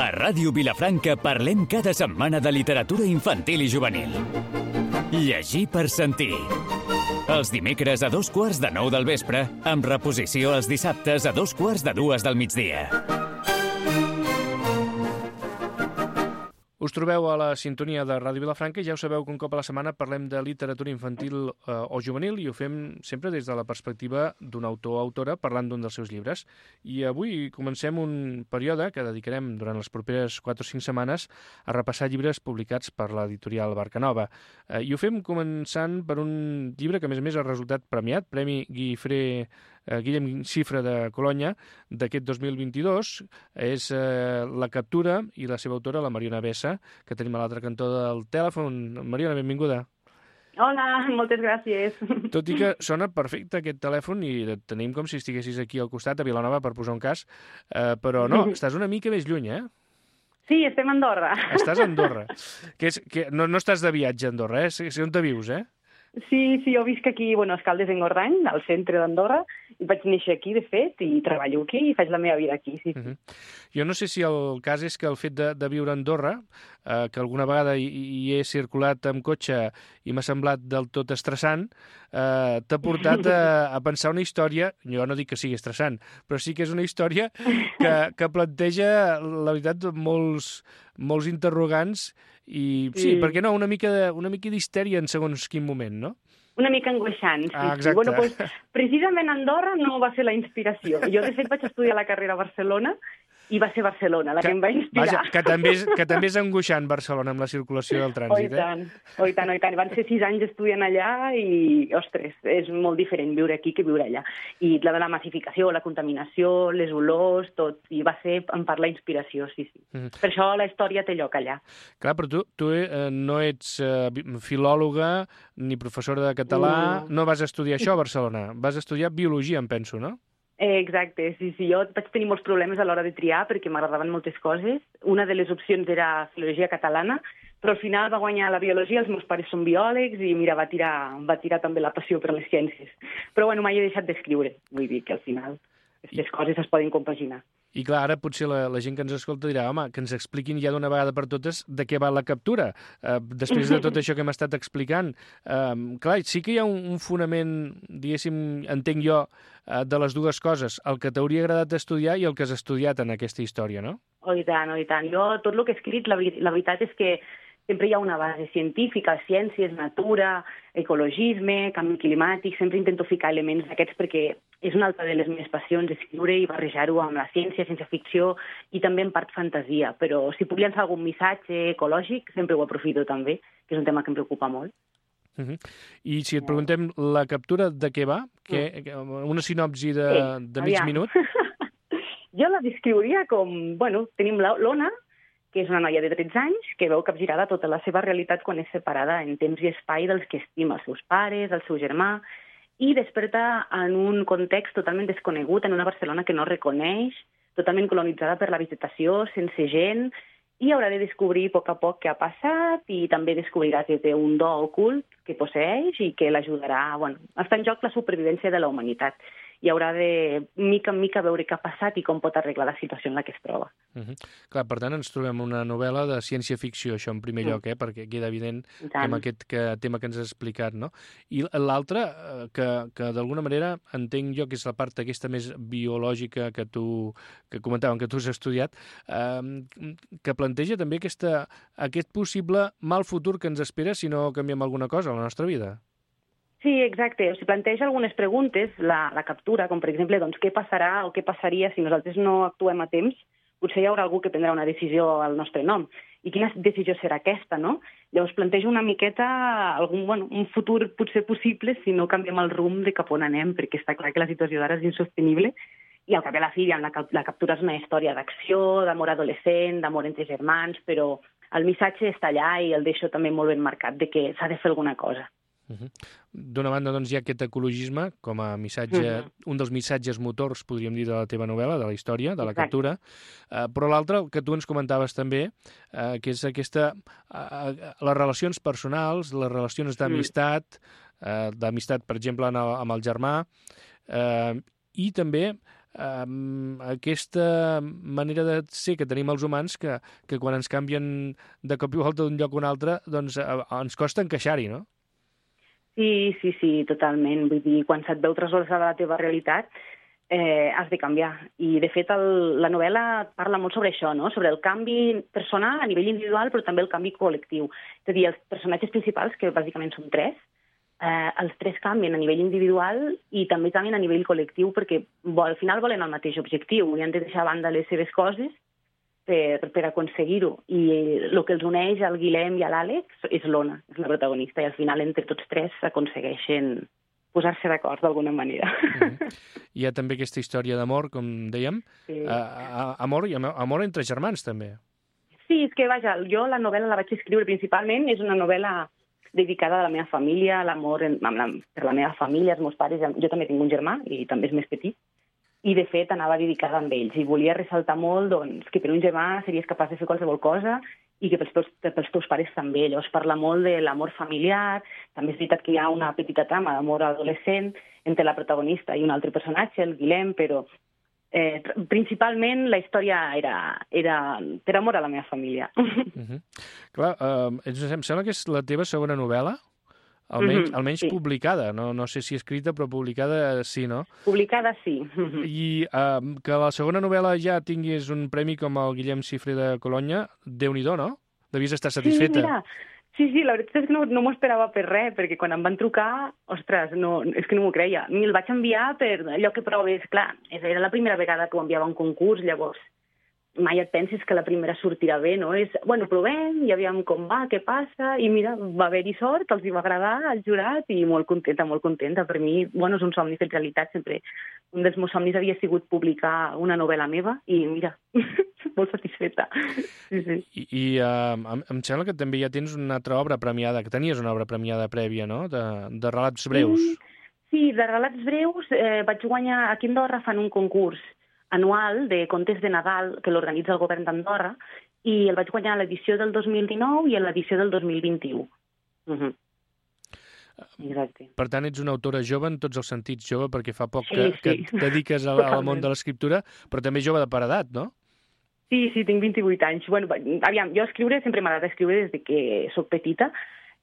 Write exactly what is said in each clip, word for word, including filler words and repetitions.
A Ràdio Vilafranca parlem cada setmana de literatura infantil i juvenil. Llegir per sentir. Els dimecres a dos quarts de nou del vespre, amb reposició els dissabtes a dos quarts de dues del migdia. Us trobeu a la sintonia de Ràdio Vilafranca i ja ho sabeu que un cop a la setmana parlem de literatura infantil eh, o juvenil i ho fem sempre des de la perspectiva d'un autor o autora parlant d'un dels seus llibres. I avui comencem un període que dedicarem durant les properes quatre o cinc setmanes a repassar llibres publicats per l'editorial Barcanova. Eh, I ho fem començant per un llibre que a més a més ha resultat premiat, Premi Guifré eh, Guillem Xifra de Colonya d'aquest dos mil vint-i-dos. És eh, La captura i la seva autora, la Mariona Bessa, que tenim a l'altre cantó del telèfon. Mariona, benvinguda. Hola, moltes gràcies. Tot i que sona perfecte aquest telèfon i et tenim com si estiguessis aquí al costat, a Vilanova, per posar un cas, eh, però no, estàs una mica més lluny, eh? Sí, estem a Andorra. Estàs a Andorra. Que és, que no, no estàs de viatge a Andorra, eh? Sé on te vius, eh? Sí, sí, jo visc aquí, bueno, a Escaldes d'Engordany, al centre d'Andorra, i vaig néixer aquí, de fet, i treballo aquí i faig la meva vida aquí, sí. sí. Uh-huh. Jo no sé si el cas és que el fet de, de viure a Andorra, eh, que alguna vegada hi, hi he circulat amb cotxe i m'ha semblat del tot estressant, eh, t'ha portat a, a pensar una història, jo no dic que sigui estressant, però sí que és una història que, que planteja, la veritat, molts, molts interrogants i, sí, sí, per què no, una mica de, una mica d'histèria en segons quin moment, no? Una mica angoixant, sí. Ah, exacte. Sí. Bueno, pues, precisament Andorra no va ser la inspiració. Jo, de fet, vaig estudiar la carrera a Barcelona i va ser Barcelona la que, que em va inspirar. Vaja, que també, és, que també és angoixant Barcelona amb la circulació del trànsit, oh, i tant, eh? Oh, i tant, oh, i tant. Van ser sis anys estudiant allà i, ostres, és molt diferent viure aquí que viure allà. I la de la massificació, la contaminació, les olors, tot. I va ser, en part, la inspiració, sí, sí. Mm. Per això la història té lloc allà. Clar, però tu, tu eh, no ets eh, filòloga ni professora de català, no. no vas estudiar això a Barcelona, vas estudiar biologia, em penso, no? Eh, exacte, sí, sí. Jo vaig tenir molts problemes a l'hora de triar perquè m'agradaven moltes coses. Una de les opcions era filologia catalana, però al final va guanyar la biologia, els meus pares són biòlegs i mira, va tirar, va tirar també la passió per les ciències. Però bueno, mai he deixat d'escriure, vull dir que al final aquestes coses es poden compaginar. I clar, ara potser la, la gent que ens escolta dirà, home, que ens expliquin ja d'una vegada per totes de què va la captura. Uh, després de tot això que hem estat explicant. Uh, clar, sí que hi ha un, un fonament, diguéssim, entenc jo, uh, de les dues coses, el que t'hauria agradat estudiar i el que has estudiat en aquesta història, no? Oh, i tant, oh, i tant. Jo, tot el que he escrit, la, la veritat és que sempre hi ha una base científica, ciències, natura, ecologisme, canvi climàtic, sempre intento ficar elements d'aquests perquè és una altra de les meves passions, escriure i barrejar-ho amb la ciència, ciència-ficció i també en part fantasia, però si puc llançar algun missatge ecològic sempre ho aprofito també, que és un tema que em preocupa molt. Uh-huh. I si et preguntem la captura de què va, que, uh. una sinopsi de, sí, de mig aviam. minut? Jo la descriuria com, bueno, tenim l'Ona, que és una noia de tretze anys, que veu capgirada tota la seva realitat quan és separada en temps i espai dels que estima, els seus pares, el seu germà, i desperta en un context totalment desconegut, en una Barcelona que no reconeix, totalment colonitzada per la vegetació, sense gent, i haurà de descobrir a poc a poc què ha passat i també descobrirà que té un do ocult que posseix i que l'ajudarà, bueno, està en joc la supervivència de la humanitat. I haurà de, mica en mica, veure què ha passat i com pot arreglar la situació en la que es troba. Uh-huh. Clar, per tant, ens trobem una novel·la de ciència-ficció, això en primer lloc, eh? Perquè queda evident que amb aquest que, tema que ens has explicat, no? I l'altre, que, que d'alguna manera entenc jo que és la part aquesta més biològica que tu, que comentàvem, que tu has estudiat, eh, que planteja també aquesta, aquest possible mal futur que ens espera si no canviem alguna cosa a la nostra vida. Sí, exacte. O sigui, planteja algunes preguntes, la, la captura, com per exemple, doncs, què passarà o què passaria si nosaltres no actuem a temps? Potser hi haurà algú que prendrà una decisió al nostre nom. I quina decisió serà aquesta, no? Llavors planteja una miqueta algun, bueno, un futur potser possible si no canviem el rumb de cap on anem, perquè està clar que la situació d'ara és insostenible. I al cap i a la fi, la, la captura és una història d'acció, d'amor adolescent, d'amor entre germans, però el missatge està allà i el deixo també molt ben marcat de que s'ha de fer alguna cosa. Uh-huh. D'una banda, doncs, hi ha aquest ecologisme com a missatge, uh-huh. un dels missatges motors, podríem dir, de la teva novel·la, de la història, de la Exacte. captura, uh, però l'altre, el que tu ens comentaves també, uh, que és aquesta, uh, les relacions personals, les relacions d'amistat, uh, d'amistat, per exemple, en el, amb el germà, uh, i també um, aquesta manera de ser que tenim els humans que, que quan ens canvien de cop i volta d'un lloc a un altre, doncs uh, ens costa encaixar-hi, no? Sí, sí, sí, totalment. Vull dir, quan se't veu trasbalsada la teva realitat, eh, has de canviar. I, de fet, el, la novel·la parla molt sobre això, no? Sobre el canvi personal a nivell individual, però també el canvi col·lectiu. És a dir, els personatges principals, que bàsicament són tres, eh, els tres canvien a nivell individual i també canvien a nivell col·lectiu perquè al final volen el mateix objectiu i han de deixar a banda les seves coses per, per aconseguir-ho. I el que els uneix al Guillem i a l'Àlex és l'Ona, és la protagonista, i al final entre tots tres aconsegueixen posar-se d'acord d'alguna manera. Mm-hmm. Hi ha també aquesta història d'amor, com dèiem, sí. uh, amor i amor entre germans, també. Sí, és que, vaja, jo la novel·la la vaig escriure principalment, és una novel·la dedicada a la meva família, a l'amor per la meva família, els meus pares. Jo també tinc un germà, i també és més petit, i de fet anava dedicada amb ells, i volia ressaltar molt doncs, que per un germà series capaç de fer qualsevol cosa i que pels teus, pels teus pares també. Llavors parla molt de l'amor familiar, també és veritat que hi ha una petita trama d'amor adolescent entre la protagonista i un altre personatge, el Guillem, però eh, principalment la història era, era per amor a la meva família. Uh-huh. Clar, uh, em sembla que és la teva segona novel·la? Almenys, mm-hmm, almenys sí. Publicada, no, no sé si escrita, però publicada sí, no? Publicada sí. I uh, que la segona novel·la ja tinguis un premi com el Guillem Cifre de Colonya, Déu-n'hi-do, no? Devies estar satisfeta. Sí, mira, sí, sí, la veritat és que no, no m'ho esperava per res, perquè quan em van trucar, ostres, no, és que no m'ho creia. Me'l vaig enviar per allò que proves, clar, era la primera vegada que ho enviava a un concurs, llavors mai et penses que la primera sortirà bé, no? És, bueno, provem, ja aviam com va, què passa, i mira, va haver-hi sort, els hi va agradar al jurat, i molt contenta, molt contenta. Per mi, bueno, és un somni fet realitat, sempre. Un dels meus somnis havia sigut publicar una novel·la meva, i mira, molt satisfeta. Sí, sí. I, i uh, em, em sembla que també ja tens una altra obra premiada, que tenies una obra premiada prèvia, no?, de, de relats breus. Sí, sí, de relats breus eh, vaig guanyar, aquí a Andorra fan un concurs anual de contes de Nadal que l'organitza el govern d'Andorra, i el vaig guanyar a l'edició del dos mil dinou i a l'edició del dos mil vint-i-u. Uh-huh. Exacte. Per tant, ets una autora jove en tots els sentits, jove, perquè fa poc sí, que, sí. que et dediques al, al món de l'escriptura, però també jove de paredat, no? Sí, sí, tinc vint-i-vuit anys. Bueno, aviam, jo escriure, sempre m'ha agradat escriure des de que sóc petita,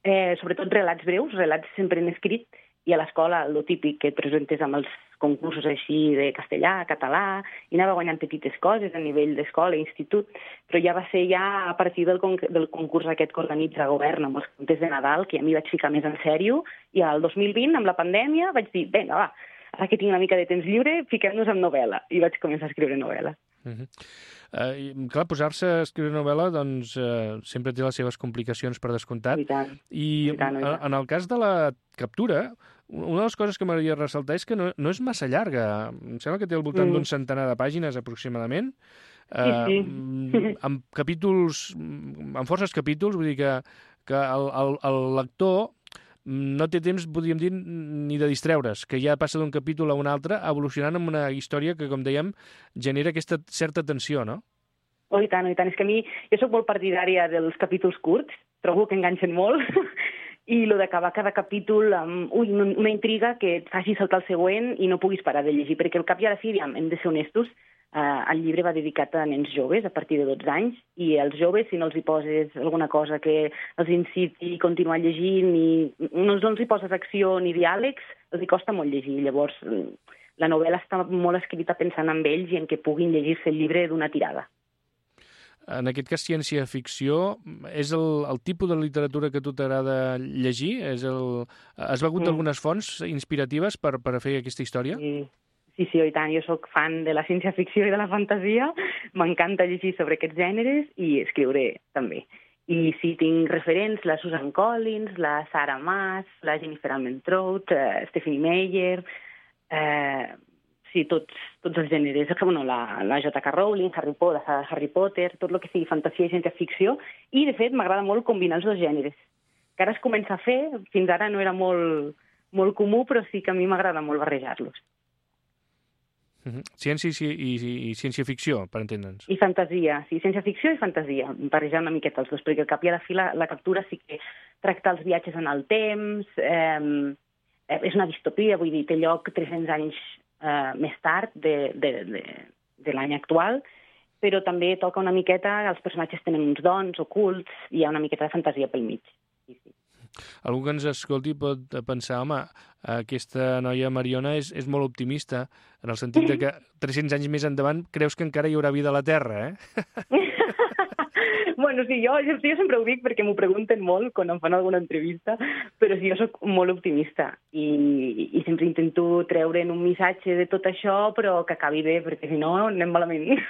eh, sobretot relats breus, relats sempre en escrit, i a l'escola, el típic que et presentes amb els concursos així de castellà, català, i anava guanyant petites coses a nivell d'escola i institut, però ja va ser ja a partir del, con del concurs aquest que organitza el govern amb els contes de Nadal, que ja m'hi vaig ficar més en sèrio, i al dos mil vint, amb la pandèmia, vaig dir, vinga, va, ara que tinc una mica de temps lliure, fiquem-nos en novel·la, i vaig començar a escriure novel·la. Uh-huh. Uh, clar, posar-se a escriure novel·la doncs, uh, sempre té les seves complicacions per descomptat. I tant. I, I tant, i tant. En el cas de la captura, una de les coses que m'agradaria ressaltar és que no, no és massa llarga. Em sembla que té al voltant mm. d'un centenar de pàgines aproximadament. Sí, sí. Uh, amb capítols, amb forces capítols, vull dir que, que el, el, el lector no té temps, podríem dir, ni de distreure's, que ja passa d'un capítol a un altre, evolucionant amb una història que, com dèiem, genera aquesta certa tensió, no? Oh, i tant, oh, i tant. És que a mi, jo sóc molt partidària dels capítols curts, trobo que enganxen molt, i el d'acabar cada capítol amb ui, una intriga que et faci saltar el següent i no puguis parar de llegir, perquè al cap i a la fi, hem de ser honestos, Uh, el llibre va dedicat a nens joves a partir de dotze anys, i els joves, si no els hi poses alguna cosa que els inciti a continuar llegint i no, no els hi poses acció ni diàlegs, els hi costa molt llegir. Llavors, la novel·la està molt escrita pensant en ells i en que puguin llegir-se el llibre d'una tirada. En aquest cas, ciència-ficció, és el, el tipus de literatura que a tu t'agrada llegir? És el... Has begut mm. algunes fonts inspiratives per, per fer aquesta història? Sí. Sí, sí, i tant. Jo sóc fan de la ciència-ficció i de la fantasia. M'encanta llegir sobre aquests gèneres i escriure també. I sí, tinc referents, la Susan Collins, la Sarah Maas, la Jennifer Armentrout, uh, Stephanie Meyer, eh, sí, tots, tots els gèneres. Bueno, la, la J K Rowling, Harry Potter, la Harry Potter, tot el que sigui fantasia i ciència-ficció. I, de fet, m'agrada molt combinar els dos gèneres. Que ara es comença a fer, fins ara no era molt, molt comú, però sí que a mi m'agrada molt barrejar-los. Uh-huh. Ciència i, i, i ciència-ficció, per entendre'ns. I fantasia, sí, ciència-ficció i fantasia, barrejar una miqueta els dos, perquè al cap i a la fi la, la captura sí que tracta els viatges en el temps, eh, és una distopia, vull dir, té lloc tres-cents anys eh, més tard de, de, de, de l'any actual, però també toca una miqueta, els personatges tenen uns dons ocults, i hi ha una miqueta de fantasia pel mig. Sí, sí. Algú que ens escolti pot pensar, home, aquesta noia Mariona és, és molt optimista, en el sentit de que tres-cents anys més endavant creus que encara hi haurà vida a la Terra, eh? Bueno, sí, jo, jo, jo sempre ho dic perquè m'ho pregunten molt quan em fan alguna entrevista, però sí, jo sóc molt optimista i, i sempre intento treure'n un missatge de tot això, però que acabi bé, perquè si no anem malament.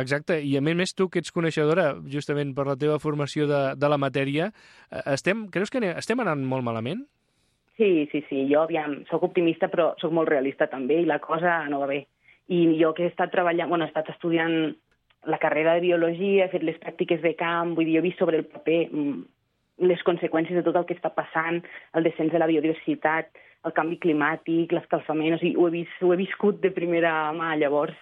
Exacte, i a més més tu que ets coneixedora, justament per la teva formació de, de la matèria, estem, creus que estem anant molt malament? Sí, sí, sí, jo, aviam, sóc optimista, però sóc molt realista també, i la cosa no va bé. I jo que he estat treballant, bueno, he estat estudiant la carrera de biologia, he fet les pràctiques de camp, vull dir, jo he vist sobre el paper les conseqüències de tot el que està passant, el descens de la biodiversitat, el canvi climàtic, l'escalfament, o sigui, ho he, vist, ho he viscut de primera mà, llavors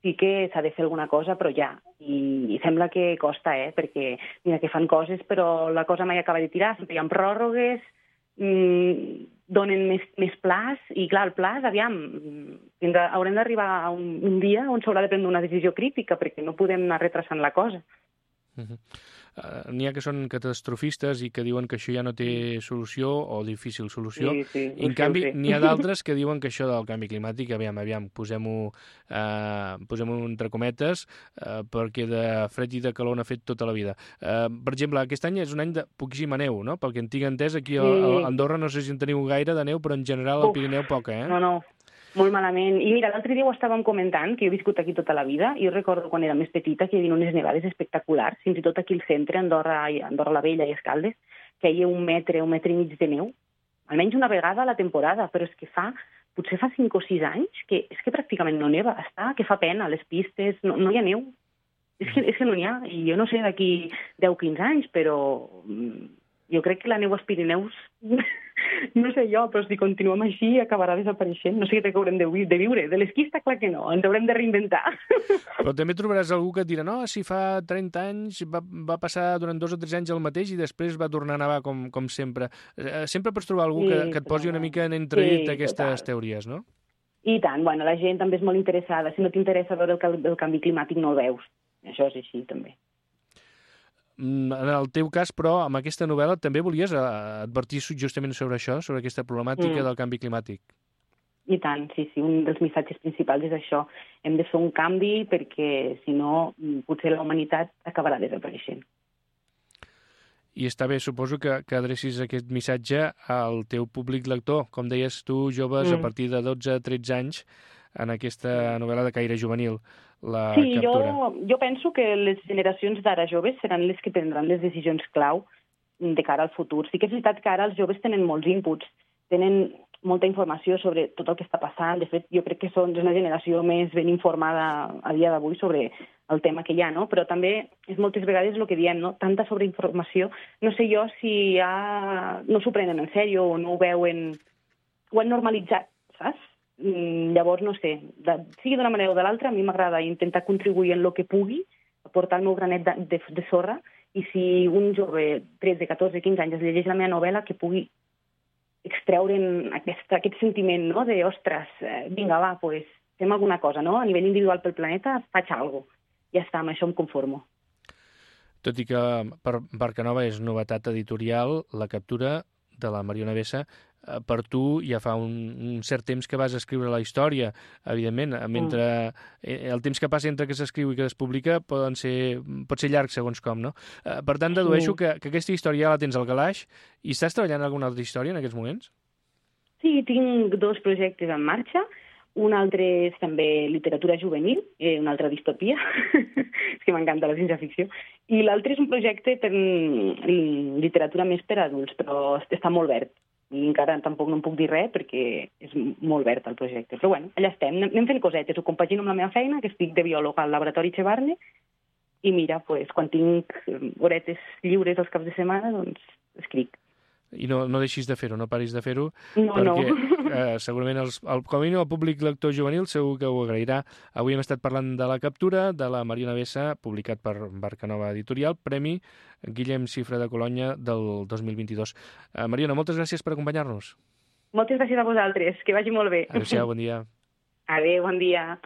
sí que s'ha de fer alguna cosa, però ja, i, i sembla que costa, eh, perquè mira que fan coses, però la cosa mai acaba de tirar, sempre hi ha pròrrogues, mmm, donen més, més plaç, i clar, el plaç, aviam, haurem d'arribar a un, un dia on s'haurà de prendre una decisió crítica, perquè no podem anar retrasant la cosa. Uh-huh. Uh, N'hi ha que són catastrofistes i que diuen que això ja no té solució o difícil solució. Sí, sí, I en canvi n'hi ha d'altres que diuen que això del canvi climàtic, aviam, aviam, posem-ho uh, posem-ho entre cometes, uh, perquè de fred i de calor n'ha fet tota la vida. Uh, per exemple, aquest any és un any de poquíssima neu, no? Pel que en tinc entès, aquí a, a Andorra no sé si en teniu gaire de neu, però en general al Pirineu poca, eh? No, no. Molt malament. I mira, l'altre dia ho estàvem comentant, que jo he viscut aquí tota la vida, i jo recordo quan era més petita que hi havia unes nevades espectaculars, fins i tot aquí al centre, Andorra, Andorra la Vella i Escaldes, que hi ha un metre, un metre i mig de neu, almenys una vegada a la temporada, però és que fa, potser fa cinc o sis anys, que és que pràcticament no neva, està, que fa pena, les pistes, no, no hi ha neu. És que, és que no n'hi ha, i jo no sé d'aquí deu o quinze anys, però jo crec que la neu als Pirineus, no sé jo, però si continuem així acabarà desapareixent. No sé què haurem de, de viure. De l'esquí està clar que no, ens haurem de reinventar. Però també trobaràs algú que et dirà no, si fa trenta anys va, va passar durant dos o tres anys el mateix i després va tornar a nevar com, com sempre. Sempre pots trobar algú sí, que, que et posi una mica en entredit sí, aquestes total. Teories, no? I tant, bueno, la gent també és molt interessada. Si no t'interessa veure el, el canvi climàtic no el veus. Això és així, també. En el teu cas, però, amb aquesta novel·la també volies advertir justament sobre això, sobre aquesta problemàtica mm. del canvi climàtic. I tant, sí, sí. Un dels missatges principals és això. Hem de fer un canvi perquè, si no, potser la humanitat acabarà desapareixent. I està bé, suposo que, que adrecis aquest missatge al teu públic lector. Com deies tu, joves, mm. a partir de dotze a tretze anys, en aquesta novel·la de caire juvenil, la sí, captura. Jo, jo penso que les generacions d'ara joves seran les que prendran les decisions clau de cara al futur. Sí que és veritat que ara els joves tenen molts inputs, tenen molta informació sobre tot el que està passant. De fet, jo crec que són una generació més ben informada a dia d'avui sobre el tema que hi ha, no? Però també és moltes vegades el que diem, no? Tanta sobreinformació. No sé jo si ja no s'ho prenen en sèrio o no ho veuen, ho han normalitzat, saps? Llavors, no sé, de, sigui d'una manera o de l'altra, a mi m'agrada intentar contribuir en el que pugui, aportar el meu granet de, de, de sorra, i si un jove, tretze, catorze, quinze anys, es llegeix la meva novel·la, que pugui extreure'n aquest, aquest sentiment, no?, de, ostres, eh, vinga, va, pues, fem alguna cosa, no?, a nivell individual pel planeta, faig alguna cosa. Ja està, amb això em conformo. Tot i que per Barcanova és novetat editorial, la captura de la Mariona Bessa, per tu ja fa un, un cert temps que vas escriure la història, evidentment, mentre el temps que passa entre que s'escriu i que es publica poden ser, pot ser llarg segons com, no? Per tant, dedueixo que, que aquesta història ja la tens al calaix i estàs treballant en alguna altra història en aquests moments? Sí, tinc dos projectes en marxa. Un altre és també literatura juvenil, eh, una altra distopia, és que m'encanta la ciència-ficció, i l'altre és un projecte per literatura més per adults, però està molt verd. I encara tampoc no em puc dir res perquè és molt verd el projecte. Però bueno, allà estem, anem fent cosetes, ho compagino amb la meva feina, que estic de biòloga al laboratori Chevarne, i mira, pues, quan tinc horetes lliures els caps de setmana, doncs escric. I no, no deixis de fer-ho, no paris de fer-ho, no, perquè no. eh, segurament els, el, com a mínim el públic lector juvenil segur que ho agrairà. Avui hem estat parlant de la captura de la Mariona Bessa, publicat per Barcanova Editorial, Premi Guillem Cifra de Colonya del dos mil vint-i-dos. Eh, Mariona, moltes gràcies per acompanyar-nos. Moltes gràcies a vosaltres, que vagi molt bé. Adéu-siau, bon dia. Adéu, bon dia.